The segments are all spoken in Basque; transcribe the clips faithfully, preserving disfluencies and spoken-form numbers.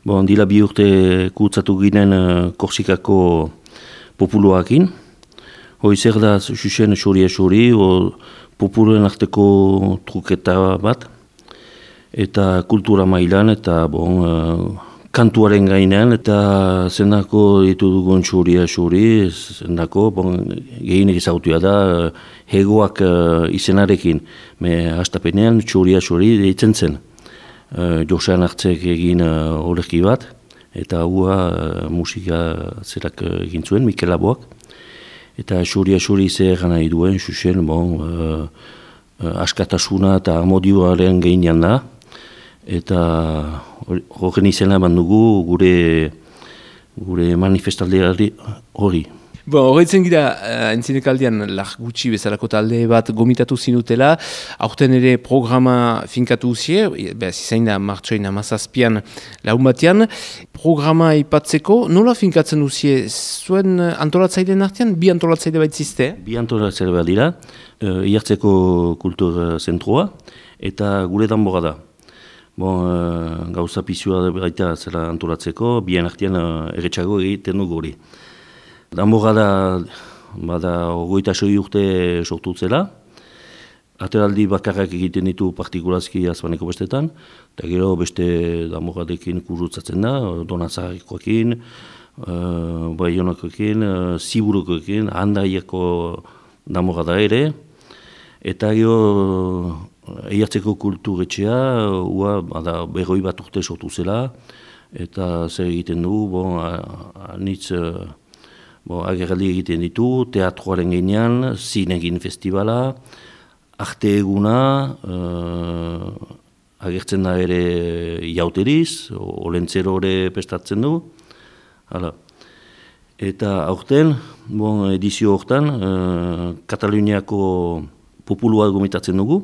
Bon, dila bi urte kutsatu ginen uh, Korsikako populuakin. Hoi zer da xuxen xori-xori, populuen arteko truketa bat, eta kultura mailan, eta bon, uh, kantuaren gainean, eta zendako ditu dugun xori-xori, zendako, bon, gehienek ezagutua da, uh, hegoak uh, izenarekin, me hastapenean xori-xori deitzen zen. Uh, Josean hartzek egin uh, olerki bat, eta hua uh, musika zerak uh, egin zuen, Mikel Laboak. Eta xori-xori zer nahi duen, xuxen, bon, uh, uh, askatasuna eta amodioaren gehienean da. Eta horren izena eman dugu gure, gure manifestaldeari hori. Bon, horretzen gira, uh, entzinekaldian lar gutxi bezalako talde bat gomitatu zinutela, aurten ere programa finkatu uzie, behaz izain da martxoin amazazpian laun batean, programa ipatzeko, nola finkatzen uzie, zuen antolatzaileen artean, bi antolatzaile baitzizte? Bi antolatzaile bat dira, uh, Iartzeko kultur zentroa, eta gure danbora da. Bon, uh, gauza pizua baita zela antolatzeko, bien artean uh, erretxago egiten dugu hori. Danbora da, bada, ogoita soi urte sortu zela. Ateraldi bakarrak egiten ditu partikulazki azbaneko bestetan, eta gero beste danboradekin kurutzatzen da, Donazarikoekin, uh, Baionakoekin, uh, Ziburukoekin, Handaiako danbora da ere, eta gero Iartzeko kulturetxea, ua, bada, berroi bat urte sortu zela, eta zer egiten du, bon, anitz, Bo, agerraldi egiten ditu, teatroaren gainean, zinegin festivala, arte eguna, uh, agertzen da ere jauteriz, olentzero ere prestatzen du. Hala. Eta aurten, bon, edizio hortan, uh, Kataluniako populua gomitatzen dugu.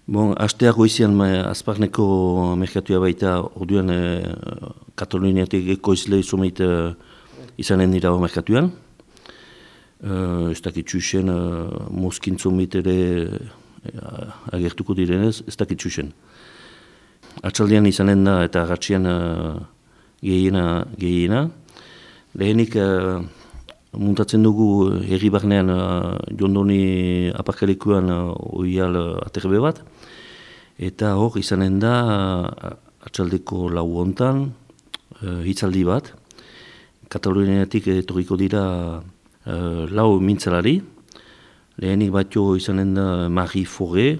Bon, asteako izan azparneko merkatua baita, orduan uh, Kataluniatik ekoizle izomeit uh, izanen dira merkatuan. Uh, ez dakit txusen, uh, mozkintzomit ere uh, agertuko direnez, ez dakit txusen. Atxaldian izanen da eta agatxian uh, gehiena, gehiena. Lehenik uh, muntatzen dugu herri barnean uh, jondoni aparkalekuan uh, oial uh, aterbe bat. Eta hor izanen da uh, atxaldeko lau hontan uh, hitzaldi bat. Kataluniatik etorriko dira uh, lau mintzalari. Lehenik batio izanen da Marie Foré,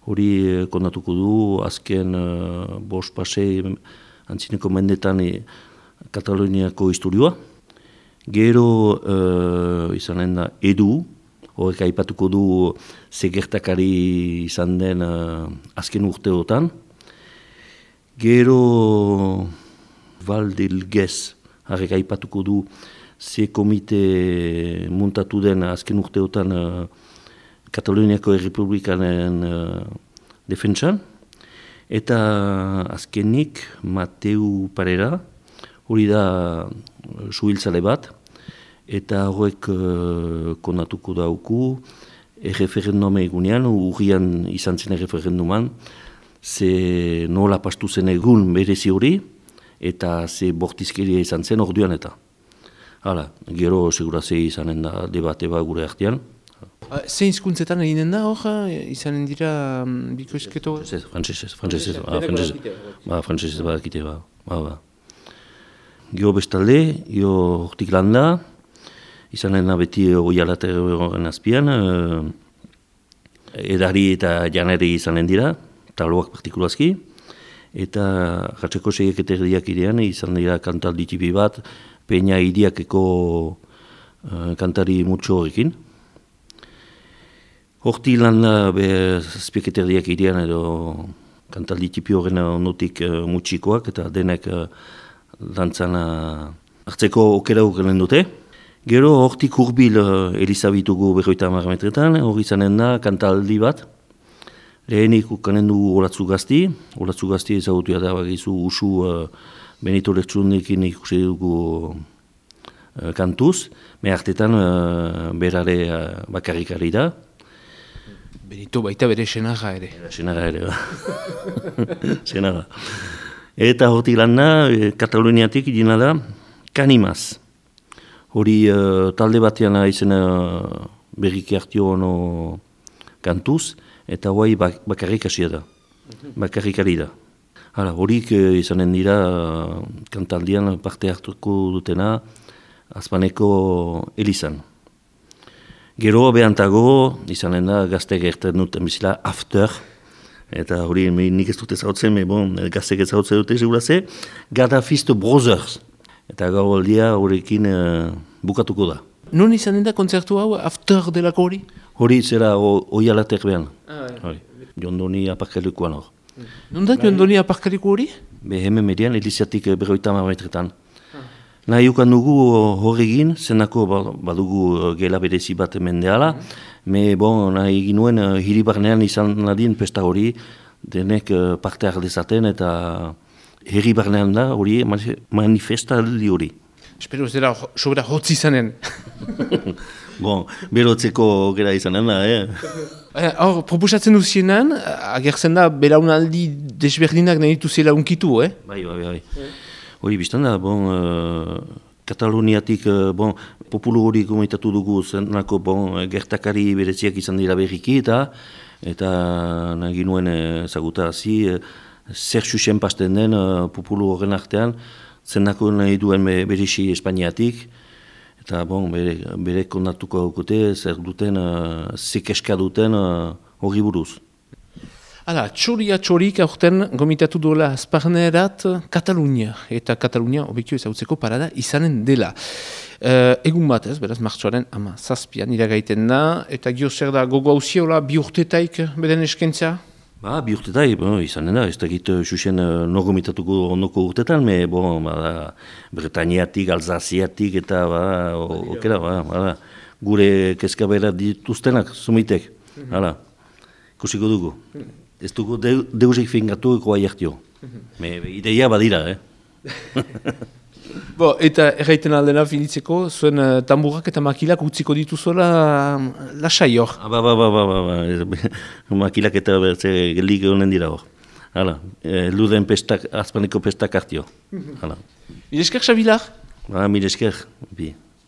hori uh, kontatuko du azken uh, bost pasei antzineko mendetan e, Kataluniako historioa. Gero uh, izanen da Edu, horrek aipatuko du zegertakari izan den uh, azken urteotan. Gero Valdelgez, harrek aipatuko du ze komite muntatu den azken urteotan uh, Kataluniako Errepublikanen uh, defentsan. Eta azkenik Mateu Parera, hori da uh, suhiltzale bat, eta horrek uh, konatuko dauku erreferenduma egunean, urrian izan zen erreferenduman, ze nola pastu zen egun berezi hori, eta ze bortizkeria izan zen orduan eta. Hala, gero segurazei izanen da debate bat gure artean. Zein hizkuntzetan eginen da hor, izanen dira um, bikoizketo? Frantzesez, frantzesez, ba, frantzesez badakite, ba, ba, ba. Gero bestalde, gero hortik landa, izanen da beti oialateroren azpian, uh, edari eta janari izanen dira, taloak partikulazki, eta jatzeko seieketerdiak idean izan dira kantaldi tipi bat, peina idiakeko uh, kantari mutxo horrekin. Horti lan da zazpieketerdiak idean edo kantaldi tipi horren ondotik uh, mutxikoak, eta denek uh, dantzan uh, hartzeko okera horren dute. Gero hortik hurbil uh, Elizabitugu berroita hamar metretan, hori izanen da kantaldi bat. Lehenik ukanen du Olatzu Gazti, Olatzu Gazti ezagutua da bagizu usu uh, Benito Lertxundekin ikusi dugu uh, kantuz, me hartetan uh, berare uh, bakarrikari da. Benito baita bere senarra ere. Senarra ere, ba. Senarra. Eta hortik lana, e, Kataluniatik idina da, Kanimaz. Hori uh, talde batean izena uh, berriki hartio ono kantuz, eta guai bak bakarrik hasia da, bakarrik ari da. Hala, horik uh, izanen dira uh, kantaldian parte hartuko dutena Azpaneko Elizan. Gero behantago, izanen da gazte gertzen duten bizila After, eta hori nik ez dute zautzen, me bon, gazte gertzen dute seguraze, Gaddafisto Brothers. Eta gau aldia horrekin uh, bukatuko da. Non izanen da kontzertu hau After delako hori? Hori zera oialatek behan. Ah, hori. Jondoni aparkalekuan hor. Non da Jondoni aparkaleku hori? Be hemen median, Eliziatik berroita marmetretan. Ah. Nahi ukan dugu horregin, zenako badugu gela berezi bat mendeala, mm. me bon, nahi egin nuen uh, hiri barnean izan nadien pesta hori, denek uh, parte hardezaten eta herri barnean da hori manifestaldi hori. Espero ez dela sobera hotzi izanen. Bon, berotzeko gera izanen da, eh? Hor, proposatzen duzienan, agertzen da belaunaldi desberdinak nahi dituzela unkitu, eh? Bai, bai, bai. Hori biztan da, bon, uh, Kataluniatik, uh, bon, populu hori komentatu dugu zenako, bon, gertakari bereziak izan dira berriki eta eta nahi nuen ezaguta hazi, zer xuxen pasten den uh, populu horren artean, zenako nahi duen berixi Espainiatik, eta bon, bere, bere kondatuko haukute, zer duten, uh, zekeska duten hori uh, buruz. Hala, txoria txorik aurten gomitatu duela Azparnerat Katalunia, eta Katalunia obekio ezagutzeko parada izanen dela. Uh, egun bat ez, beraz, martxoaren ama zazpian iragaiten da, eta gio zer da gogo hauziola bi urtetaik beden eskentza? Ba, bi urtetai, bon, izanen da, ez da git xuxen uh, no gomitatuko ondoko urtetan, me, bon, ba, Bretañatik, Alzaziatik, eta, ba, okera, ba, ba, gure kezkabera dituztenak, sumitek, hala, kusiko dugu. Ez dugu de, deusik fingatu eko aiartio. Me, ideia badira, eh? Bo, eta erraiten aldena finitzeko, zuen uh, tamburak eta makilak utziko dituzuela uh, lasai hor. Ah, ba, ba, ba, ba, ba, ba. Makilak eta bertze gelik honen dira hor. Hala, e, luden pestak, Azpaneko pestak hartio. Hala. Mil esker, Xabilar? Ba, mil esker, bi.